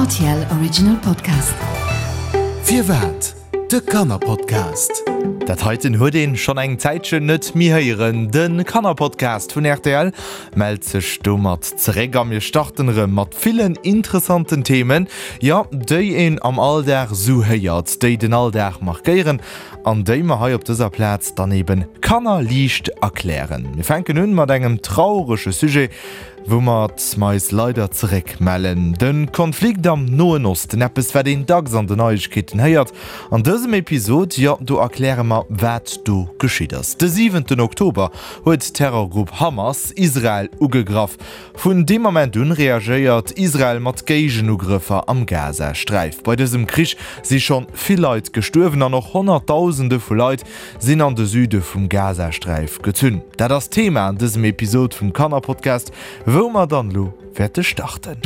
RTL Original Podcast. Firwat? De Kannerpodcast. Dat heiten huet een schonn eng Zäitchen net méi héieren. De Kannerpodcast vun rtl mellt sech domat zeréck a mir starten erëm mat villen interessanten Themen, jo, déi een am Alldag sou héiert, déi den Alldag markéieren an déi mer hei op dëser Plaz dann eben kannerliicht erklären. Mir fänken un mat engem traurege Sujet, Woumat mer eis leider zeréck mellen. De Konflikt am Noen Osten, eppes wat een dacks an de Neiegkeeten héiert. An dësem Episod, jo do erkläre mer wat do geschitt ass. De siwenten Oktober huet d'Terrorgrupp Hamas Israel ugegraff. Vun deem Ament un reagéiert Israel mat Géigenugrëffer am Gazasträif. Bei dësem Krich si schonn vill Leit gestuerwen an och Honnertdausende vu Leit sinn an de Süde vum Gazasträif gezunn. Dat ass d'Thema an dësem Episod vum Kannerpodcast, wou mer dann elo wäerte starten.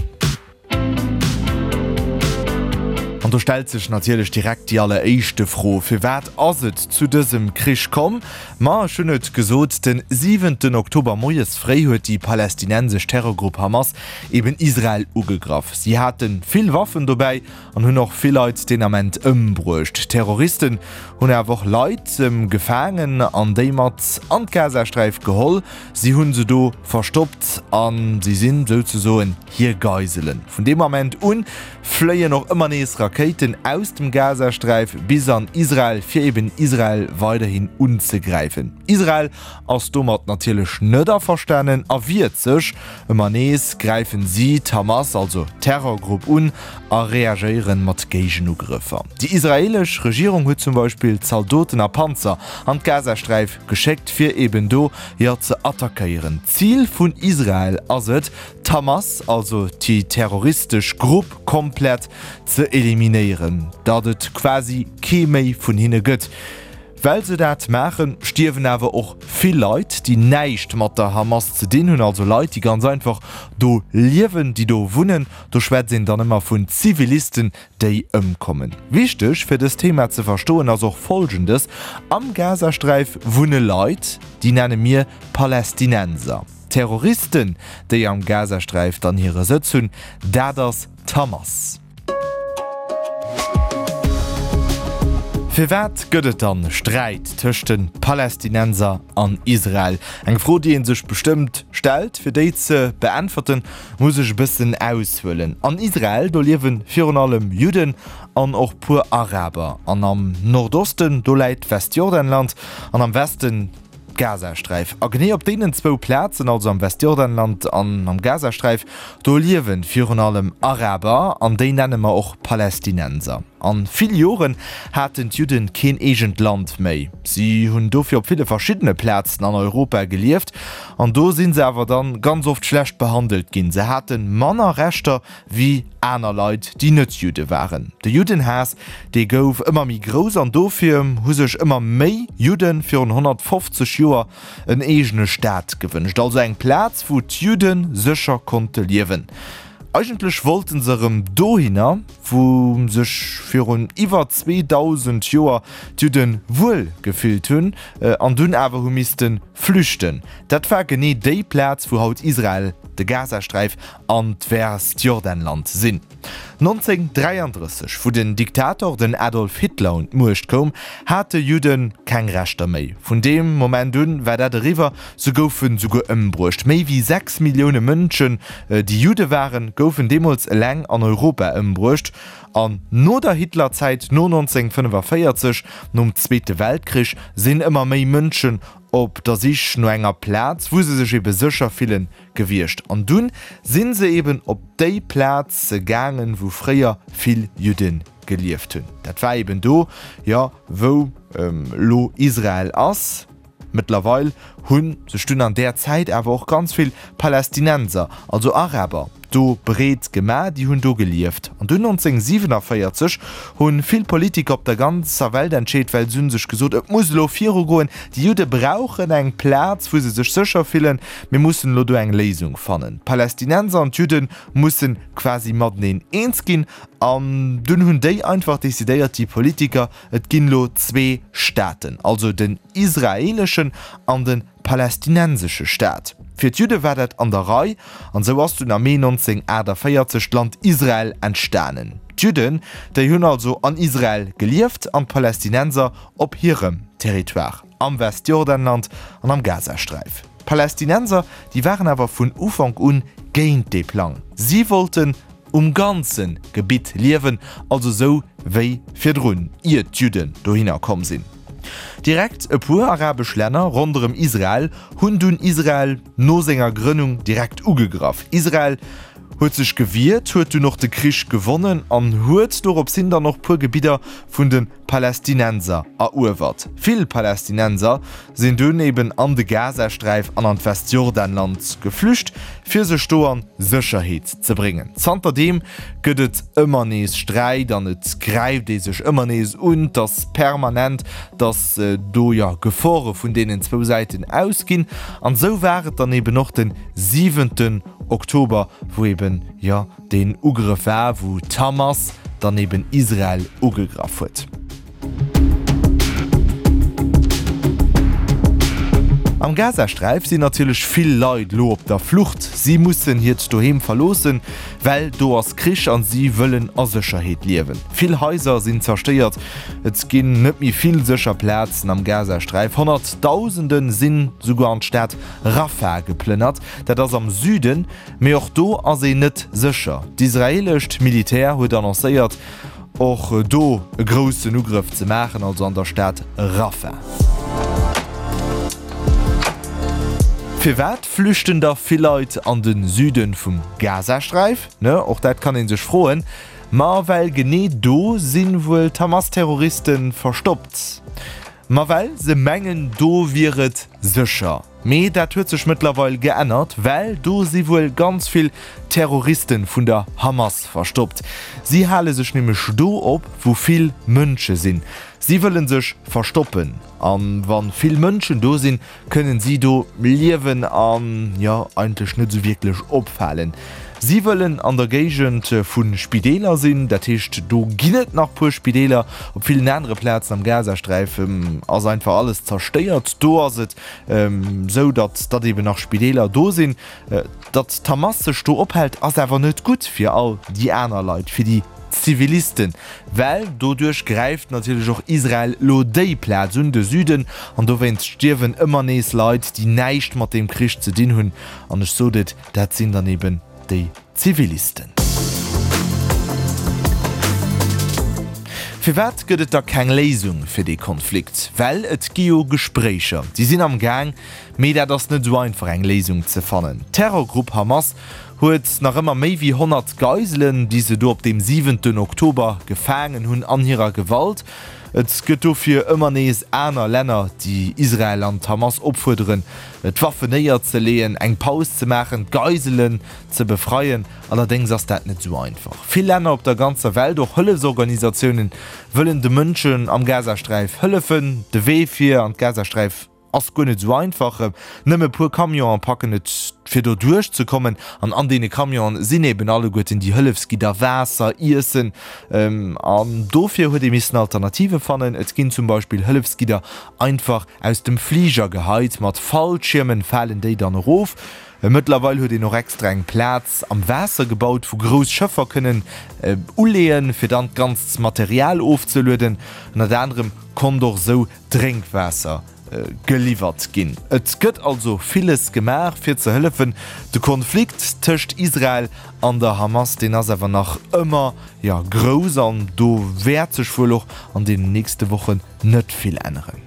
An do stellt sech natierlech direkt déi alleréischte Fro, Firwat ass et zu dësem Krich komm? Ma ech hunn et gesot, den siwenten Oktober moies fréi huet déi palästinensesch Terrorgrupp Hamas eben Israel ugegraff. Si hate vill Waffen dobäi An hunn och vill Leit deen Ament ëmbruecht. D'Terroristen hunn awer och Leit gefaangen an déi mat an d'Gazasträif geholl. Si hunn se do verstoppt a si sinn souzesoen hir Geiselen. Vun deem Ament un fléien och ëmmer nees Rakéiten aus dem Gazasträif bis an Israel, fir eben Israel weiderhin unzegräifen. Israel ass domat natierlech net averstanen a wiert sech. Ëmmer nees gräifen si d'Hamas, also d'Terrorgrupp, un a reagéieren mat Géigenugrëffer. Déi israeelesch Regierung huet zum Beispill Zaldoten a Panzer an d'Gazasträif geschéckt, fir eben do, jo, ze attackéieren. D'Zil vun Israel ass et, d'Hamas, also déi terroristesch Grupp, komplett ze eliminéieren, datt et quasi kee méi vun hinne gëtt. Well se dat maachen, stierwen awer och vill Leit, déi näischt mat der Hamas ze dinn hunn, also Leit, déi ganz einfach do liewen, déi do wunnen. Do schwätzt een dann ëmmer vun Zivilisten, déi ëmkommen. Wichteg fir dëst Thema ze verstoen ass och Folgendes, Am Gazasträif wunne Leit, déi nenne mir Palästinenser. D'Terroristen, déi am Gazasträif dann hire Sëtz hunn, dat ass d'Hamas. Firwat gëtt et dann Sträit tëscht de Palästinenser an Israel? Eng Fro, déi ee sech bestëmmt stellt. Fir déi ze beäntwerten, muss ech e bëssen aushuelen. An Israel, do liewe virun allem Judden an och puer Araber. An am Nordosten, do läit d'Westjordanland an am Westen d'Gazasträif. A genee op deenen zwou Plazen, also am Westjordanland an am Gazasträif, do liewe virun allem Araber an déi nenne mer och Palästinenser. A vill Joren haten d'Judde keen eegent Land méi. Si hunn dofir op ville verschiddene Plazen an Europa gelieft an do si se awer dann ganz oft schlecht behandelt ginn. Se hate manner Rechter wéi aner Leit, déi net Judde waren. De Juddenhaass, dee gouf ëmmer méi grouss an dofir hu sech ëmmer méi Judde virun 150 Joer en eegene Staat gewënscht, also eng Plaz, wou d'Judde sécher konnte liewen. Eigentlech wollte se erëm dohinner, wou sech virun iwwer 2000 Joer d'Judde wuel gefillt hunn an dunn awer hu misste flüchten. Dat war genee déi Plaz, wou haut Israel, de Gazasträif an d'Westjordanland sinn. 1933, wou den Diktator, den Adolf Hitler, un d'Muecht koum, hate Judde keng Rechter méi. Vun deem Moment un war dat eriwwer, se goufe souguer ëmbruecht. Méi wéi 6 Millioune Mënschen, déi Judde waren, goufen deemools eleng an Europa ëmbruecht. An no der Hitlerzäit, no 1945, nom Zweete Weltkrich, sinn ëmmer méi Mënschen op der Sich no enger Plaz, wou se sech ebe sécher fillen, gewiescht. An dunn sinn se eben op déi Plaz gaangen, wou fréier vill Judde gelieft hunn. Dat war eben do, jo, wou elo Israel ass. Mëttlerweil hu sech dunn an där Zäit awer och ganz vill Palästinenser, also Araber, do breet gemaach, déi hunn do gelieft. An dunn 1947 hu vill Politiker op der ganzer Welt entscheet, well se hu sech gesot, et muss elo virugoen, déi Judde brauchen eng Plaz, wou se sech sécher fillen, mir mussen elo do eng Léisung fannen. D'Palästinenser an d'Judde musse quasi mateneen eens ginn. An dunn hunn déi einfach decidéiert, déi Politiker, et ginn elo zwee Staaten, also den israeeleschen an de palästinensesche Staat. Fir d'Judde war dat an der Rei, an sou ass dunn am Mee 1948 d'Land Israel entstanen. D'Judden, déi hunn also an Israel gelieft an d'Palästinenser op hirem Territoire, am Westjordanland an am Gazasträif. D'Palästinenser, déi waren awer vun Ufank un géint dee Plang. Si wollten um ganze Gebitt liewen, also sou wéi virdrun, ier d'Judden dohinner komm sinn. Direkt e puer arabesch Länner ronderëm Israel hunn dunn Israel no senger Grënnung direkt ugegraff. Israel huet sech gewiert, huet dunn och de Krich gewonnen an huet dorops hin dann och puer Gebidder vun de Palästinenser eruewert. Vill Palästinenser sinn dunn eben an de Gazasträif an an d'Westjordanland geflücht, fir sech do an Sécherheet ze bréngen. Zanterdeem gëtt et ëmmer nees Sträit an et gräift ee sech ëmmer nees un. Et ass permanent, datt do jo Gefore vun deenen zwou Säiten ausginn. An esou war et dann eben och de siwenten Oktober, wou eben jo deen Ugrëff war, wou d'Hamas dann eben Israel ugegraff huet. Am Gazasträif sinn natierlech vill Leit elo op der Flucht. Si mussen hiert Doheem verloossen, well do ass Krich an si wëllen a Sécherheet liewen. Vill Haiser sinn zerstéiert, et ginn net méi vill sécher Plazen am Gazasträif. Honnertdausende sinn souguer an d'Stad Rafah geplënnert, dat ass am Süden. Mee och do ass een net sécher. D'israeelescht Militär huet annoncéiert, och do e groussen Ugrëff ze maachen, also an der Stad Rafah. Firwat flüchten da vill Leit an de Süde vum Gazasträif? Ne, och dat kann ee sech froen. Ma well genee do si wuel d'Hamas-Terroriste verstoppt. Ma well se mengen, do wier et sécher. Mee dat huet sech mëttlerweil geännert, well do si wuel ganz vill Terroriste vun der Hamas verstoppt. Si hale sech nämlech do op, wou vill Mënsche sinn. Si wëlle sech verstoppen. A wa vill Mënschen do sinn, kënnen si do liewen an, jo, eigentlech net esou wierklech opfalen. Si wëllen an der Géigend vu Spideeler sinn, dat heescht do ginn et nach puer Spideeler. Op villen anere Plazen am Gazasträif ass einfach alles zerstéiert. Do ass et esou, datt datt eben nach Spideeler do sinn. Datt d'Hamas sech do ophält, ass awer net gutt fir all déi aner Leit, fir déi Zivilisten, well doduerch gräift natierlech och Israel lo déi Plaz un, de Süden, an dowéinst stierwen ëmmer nees Leit, déi näischt mat deem Krich ze dinn hunn. An ech sot et, Dat sinn dann eben déi Zivilisten. Firwat gëtt et da keng Léisung fir dee Konflikt? Well et gi jo Gespréicher, déi sinn am Gaang, mee dat ass net esou einfach eng Léisung ze fannen. D'Terrorgrupp Hamas huet nach ëmmer méi wéi 100 Geiselen, déi se do op deem siwenten Oktober gefaangen hunn, an hirer Gewalt. Et gëtt dofir ëmmer nees aner Länner, déi Israel an d'Hamas opfuerderen, d'Waffen néierzeleeën, eng Paus ze maachen, d'Geiselen ze befreien. Allerdéngs ass dat net esou einfach. Vill Länner op der ganzer Welt, och Hëllefsorganisatiounen, wëllen de Mënschen am Gazasträif hëllefen. De Wee fir an d'Gazasträif ass guer net esou einfach. Nëmme puer Camionen packen et fir do duerch ze kommen. An an deene Camionen sinn eben alleguerten déi Hëllefsgidder, Waasser, Iessen. An dofir huet ee missen Alternative fannen. Et ginn zum Beispill Hëllefsgidder einfach aus dem Fliger geheit, mat Fallschiermen falen déi dann erof. Mëttlerweil huet een och extra eng Plaz am Waasser gebaut, wou grouss Schëffer kënnen uleeën, fir dann d'ganzt Material ofzelueden. Ënnert anerem konnt och esou Drénkwaasser geliwwert ginn. Et gëtt also villes gemaach, fir ze hëllefen. De Konflikt tëscht Israel an der Hamas, deen ass awer nach ëmmer, jo, grouss an do wäert sech wuel och an deenen nächste Wochen net vill änneren.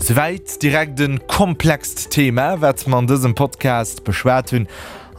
Souwäit direkt e komplext Thema, wat mer an dësem Podcast beschwat hunn,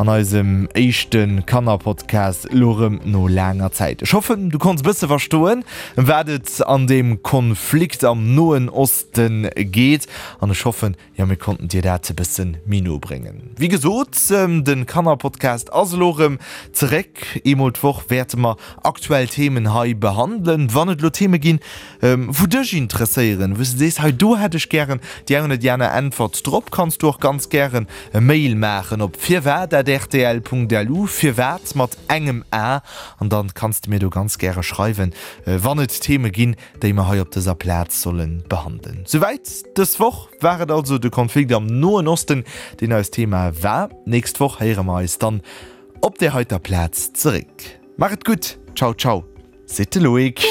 an eisem éischte Kannerpodcast elo erëm no laanger Zäit. Ech hoffen, du konns e bësse verstoen, ëm wat et an deem Konflikt am Noen Oste geet an ech hoffen, Jo, mir konnten dir dat e bëssen méi no bréngen. Wéi gesot, de Kannerpodcast ass elo erëm zeréck. Eemol d'Woch wäerte mer aktuell Themen hei behandelen. Wann et elo Theme ginn, wou dech interesséieren, wou s de sees, hei do hätt ech gären déi eng oder déi aner Äntwert drop, kanns du och ganz gären e Mail maachen op firwat. firwat@rtl.lu, firwat mat engem a, an dann kanns de mir do ganz gäre schreiwen, wann et Theme ginn, déi mer hei op dëser Plaz solle behandelen. Souwäit dës Woch. War et also de Konflikt am Noen Osten, deen eist Thema war. Nächst Woch héiere mer eis dann op där heiter Plaz zeréck. Maach et gutt, ciao ciao, seet de Loïc.